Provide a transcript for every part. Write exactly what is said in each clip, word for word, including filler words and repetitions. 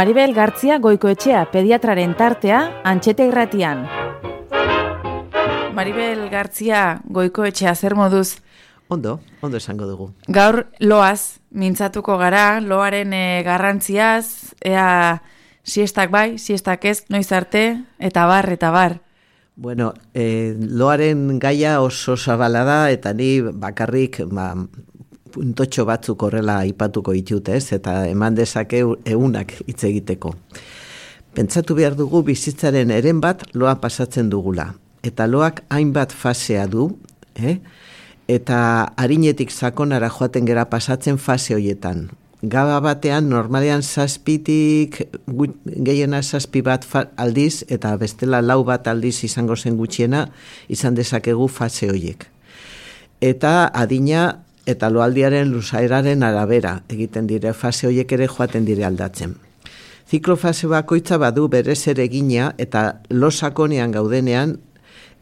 Maribel Gartzia Goikoetxea pediatraren tartea Antxete Irratian. Maribel Gartzia Goikoetxea, zer moduz? Ondo, ondo esango dugu. Gaur loaz mintzatuko gara, loaren e, garrantziaz, ea siestak bai, siestak ez, noiz arte, eta bar, eta bar. Bueno, eh, loaren gaia oso zabala da, eta ni bakarrik ba, puntotxo batzuk horrela aipatuko ditut, ez? Eta eman dezake egunak hitz egiteko. Pentsatu behar dugu bizitzaren eren bat loa pasatzen dugula. Eta loak hainbat fasea du, eh? Eta harinetik sakonara joaten gera pasatzen fase horietan. Gaba batean normalean zazpitik, gehiena zazpi bat aldiz, eta bestela lau bat aldiz izango zen gutxiena, izan dezakegu fase horiek. Eta adina eta loaldiaren luzaeraren arabera egiten dire, fase horiek ere joaten dire aldatzen. Ziklofase bakoitza badu berez ere egina eta lo sakonean gaudenean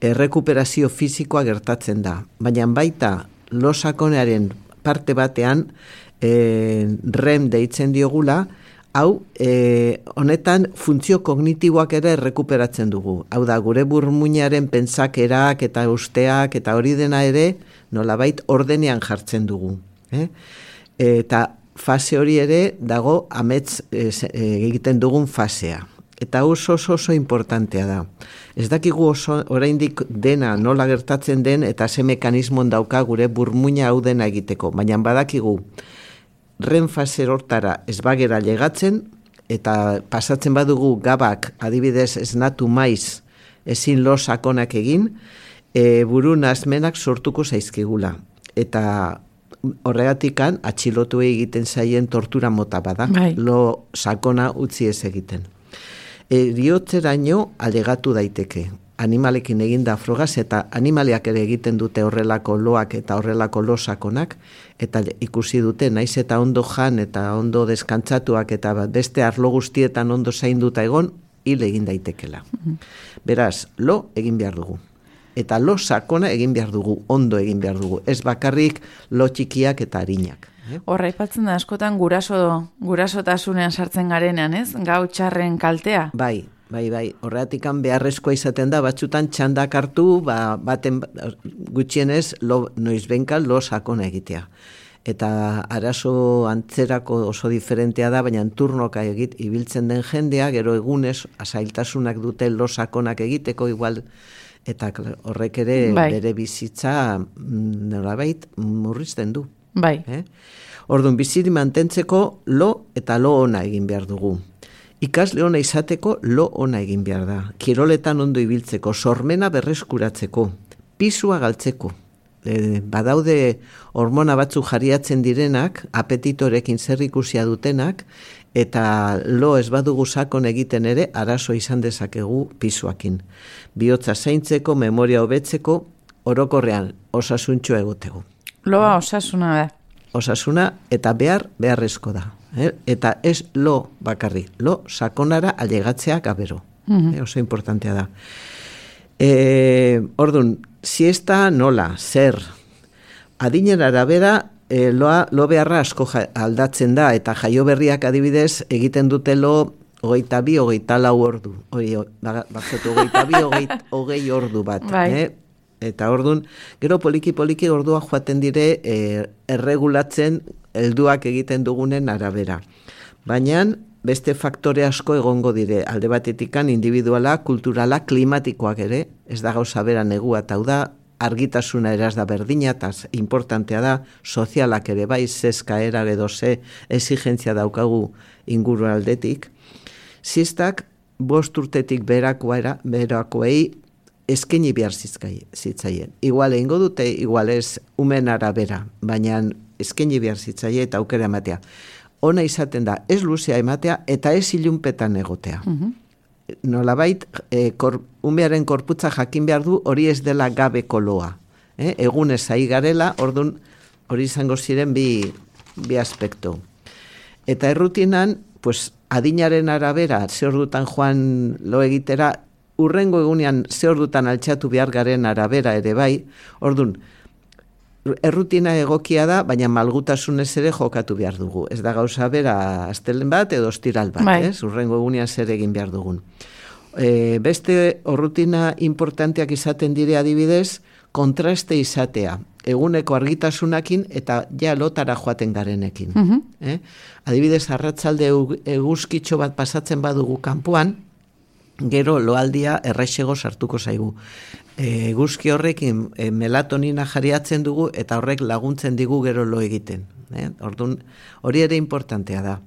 errekuperazio fisikoa gertatzen da. Baina baita lo sakonearen parte batean e, rem deitzen diogula, hau e, honetan funtzio kognitiboak ere errekuperatzen dugu. Hau da, gure burmuinaren pentsakerak eta usteak eta hori dena ere nolabait ordenean jartzen dugu. Eh? Eta fase hori ere dago amets e, egiten dugun fasea. Eta oso oso oso importantea da. Ez dakigu oso oraindik dena nola gertatzen den eta ze mekanismon dauka gure burmuina hau dena egiteko. Baina badakigu ren fase hortara ez bagera llegatzen eta pasatzen badugu gabak adibidez esnatu maiz ezin lo sakonak egin, e, buru nazmenak sortuko zaizkigula. Eta horregatikan atxilotu egiten zaien tortura mota bada, Bai. lo sakona utzi ez egiten. Eriotzeraino alegatu daiteke. Animalekin eginda frogaz eta animaliak ere egiten dute horrelako loak eta horrelako lo sakonak eta ikusi dute naiz eta ondo jan eta ondo deskantzatuak eta beste arlo guztietan ondo zainduta egon hil egin daitekela. Beraz, lo egin behar dugu. Eta lo sakona egin behar dugu, ondo egin behar dugu. Ez bakarrik lo txikiak eta harinak. Horra, aipatzen da askotan guraso, gurasotasunean sartzen garenean, ez? Gau txarren kaltea. Bai, bai, bai. Horretikan beharrezkoa izaten da, batzutan txandak hartu, ba, baten gutxienez lo, noizbenka lo sakona egitea. Eta arazo antzerako oso diferentea da, baina turnoka egit ibiltzen den jendea, gero egunez azailtasunak dute lo sakonak egiteko igual, eta horrek ere bai. Bere bizitza nolabait murrizten du. Bai. Eh? Orduan, biziri mantentzeko lo eta lo ona egin behar dugu. Ikasle ona izateko lo ona egin behar da. Kiroletan ondo ibiltzeko, sormena berreskuratzeko, pisua galtzeko. E, badaude hormona batzu jariatzen direnak, apetitorekin zer ikusia dutenak, eta lo ez badugu sakon egiten ere, arazo izan dezakegu pisuakin. Bihotza zaintzeko, memoria hobetzeko, orokorrean osasuntxo egoteko. Loa osasuna da. Osasuna eta behar beharrezko da. Eh? Eta ez lo bakarri, lo sakonara alegatzea gabero. Mm-hmm. eh, oso importantea da. E, Orduan, siesta nola, zer, adinen arabera e, loa, lo beharra asko ja, aldatzen da, eta jaio berriak adibidez egiten dute lo hogeita bi, hogeita lau ordu. Hori, bakzotu, hogeita bi, hogei ordu bat. Bai. Eh? Eta orduan, gero poliki-poliki ordua joaten dire e, erregulatzen helduak egiten dugunen arabera. Baina beste faktore asko egongo dire, alde batetikan individuala, kulturala, klimatikoak ere, ez da gauza bera negua, eta hau da, argitasuna eraz da berdina, eta importantea da, sozialak ere bai, zezkaera edo ze exigentzia daukagu inguru aldetik. Ziztak, bost urtetik berakoera, berakoei, eskeni behar zitzaien. Igual egingo dute, igual ez umen arabera, baina eskeni behar zitzaien eta aukera ematea. Ona izaten da, ez luzea ematea eta ez ilunpetan egotea. Uh-huh. Nolabait, e, kor, umearen korputza jakin behar du hori ez dela gabeko loa. Eh? Egunez ari garela, orduan hori izango ziren bi, bi aspektu. Eta errutinan, pues, adinaren arabera, ze ordutan joan lo egitera, urrengo egunean ze ordutan altxatu behar garen arabera ere bai, orduan, errutina egokia da, baina malgutasunez ere jokatu behar dugu. Ez da gauza bera astelen bat edo ostiral bat, bai. ez? Urrengo egunean zer egin behar dugun. E, beste rutina importanteak izaten dire adibidez, kontraste izatea. Eguneko argitasunakin eta ja lotara joaten garenekin. Uh-huh. Eh? Adibidez, arratsalde eguzkitxo bat pasatzen badugu kanpoan, gero loaldia erraixego sartuko zaigu. E, eguzki horrekin e, melatonina jariatzen dugu eta horrek laguntzen digu gero lo egiten. Eh? Orduan, hori ere importantea da.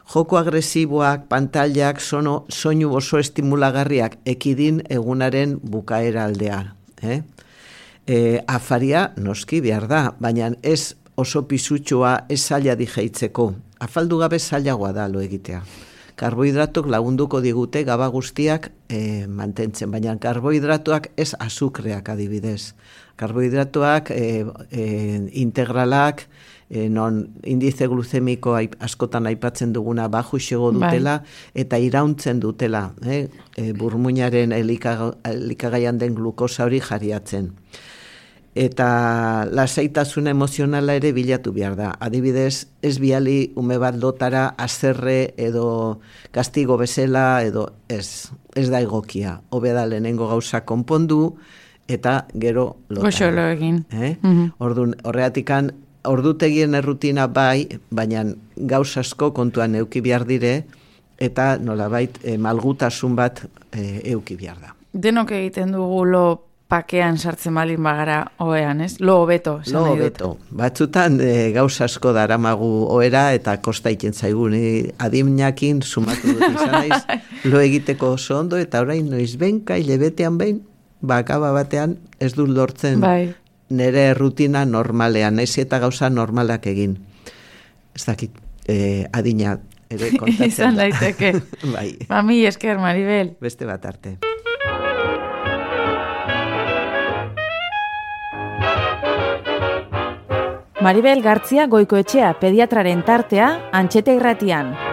Joko agresiboak, pantailak, sono, soinu oso estimulagarriak ekidin egunaren bukaera aldea. Eh? E, afaria noski behar da, baina ez oso pisutxoa, ez zaila dijeitzeko. Afaldu gabe zailagoa da lo egitea. Karbohidratok lagunduko digute gaba guztiak e, mantentzen, baina karbohidratoak ez azukreak adibidez. Karbohidratoak e, e, integralak, e, non indize gluzemiko askotan aipatzen duguna bajuxego dutela, bai. Eta irauntzen dutela, eh? e, burmuinaren elikagaian den glukosa hori jariatzen. Eta lasaitasun emozionala ere bilatu behar da. Adibidez, ez biali ume bat lotara azerre edo kastigo bezala edo ez, ez da egokia. Hobe da lehenengo gauza konpondu eta gero lotara. Goxo lo egin. Eh? Uh-huh. Orduan, horreatikan, ordutegien errutina bai, baina gauza asko kontuan euki behar dire eta nolabait eh, malgutasun bat eh, euki behar da. Denok egiten dugu lo pakean sartzen balin bagara oean, ez? Lo hobeto. Lo hobeto. Batzutan e, gauza asko daramagu oera eta kosta iten zaigu. Ni adimnakin sumatu dut izan naiz, lo egiteko oso ondo eta orain noiz benka hilebetean behin, bakaba batean ez dut lortzen bai. Nere rutina normalean, naiz eta gauza normalak egin. Ez dakit, e, adina ere kontatzen izan daiteke. Bai. Mami esker, Maribel. Beste bat arte. Maribel Gartzia Goikoetxea pediatraren tartea Antxeta Irratian.